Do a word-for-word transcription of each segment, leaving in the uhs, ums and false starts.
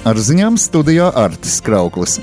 Ar ziņām studijā Artis Krauklis.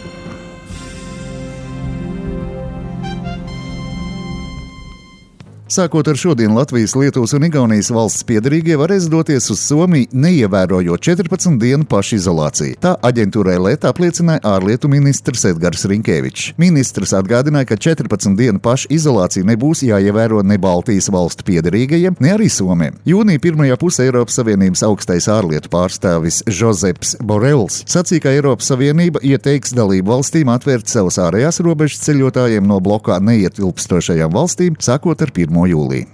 Sākot ar šodien Latvijas, Lietuvas un Igaunijas valsts piederīgie varēs doties uz Somiju, neievērojot četrpadsmit dienu pašizolāciju. Tā aģentūrai L E T apliecināja ārlietu ministrs Edgars Rinkevičs. Ministrs atgādināja, ka četrpadsmit dienu pašizolācija nebūs jāievēro ne Baltijas valstu piederīgajiem, ne arī Somiem. Jūnija pirmajā pusē Eiropas Savienības augstais ārlietu pārstāvis Žozeps Borels sacīja, ka Eiropas Savienība ieteiks dalību valstīm atvērt savas ārējās robežas ceļotājiem no blokā neietilpstošajām valstīm, sākot ar pirmo jūliju.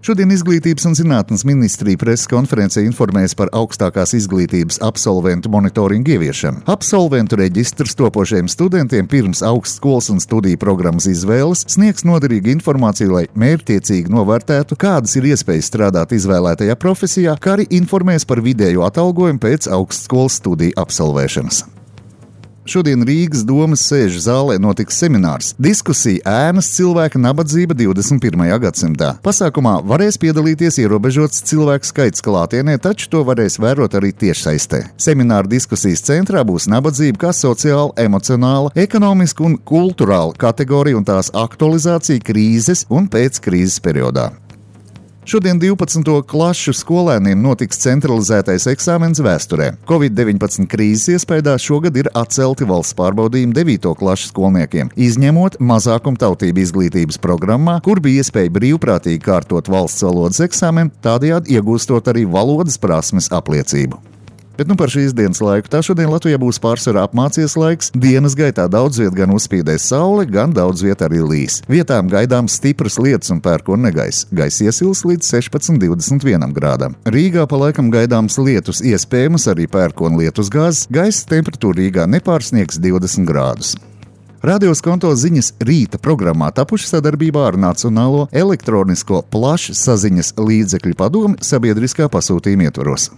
Šodien Izglītības un zinātnes ministrija preses konferencē informēs par augstākās izglītības absolventu monitoringu ieviešanu. Absolventu reģistrs topošajiem studentiem pirms augstskolas un studiju programmas izvēles sniegs noderīgu informāciju, lai mērķtiecīgi novērtētu, kādas ir iespējas strādāt izvēlētajā profesijā, kā arī informēs par vidējo atalgojumu pēc augstskolas studiju absolvēšanas. Šodien Rīgas domas sēžu zālē notiks seminārs "Diskusija ēnas cilvēka nabadzība divdesmit pirmajā gadsimtā". Pasākumā varēs piedalīties ierobežots cilvēku skaits klātienē, taču to varēs vērot arī tiešsaistē. Semināra diskusijas centrā būs nabadzība kā sociāla, emocionāla, ekonomiska un kulturāla kategorija un tās aktualizācija krīzes un pēckrīzes periodā. Šodien divpadsmito klašu skolēniem notiks centralizētais eksāmens vēsturē. covid deviņpadsmit krīzes iespējā šogad ir atcelti valsts pārbaudījumi devīto klašu skolniekiem, izņemot mazākumtautību izglītības programmā, kur bija iespēja brīvprātīgi kārtot valsts valodas eksāmenu, tādējādi iegūstot arī valodas prasmes apliecību. Bet nu par šīs dienas laiku. Tā šodien Latvijā būs pārsvarā apmācies laiks. Dienas gaitā daudz viet gan uzspīdēs saule, gan daudz viet arī līs. Vietām gaidāms stipras lietus un pērkona negaiss. Gaiss iesils līdz sešpadsmit līdz divdesmit vienam grādam. Rīgā pa laikam gaidāms lietus, iespējams arī pērkona lietusgāzes. Gaisa temperatūra Rīgā nepārsniegs divdesmit grādus. Radio Skonto ziņas rīta programmā tapuši sadarbībā ar Nacionālo elektronisko plašsaziņas līdzekļu padomi sabiedriskā pasūtījuma ietvaros.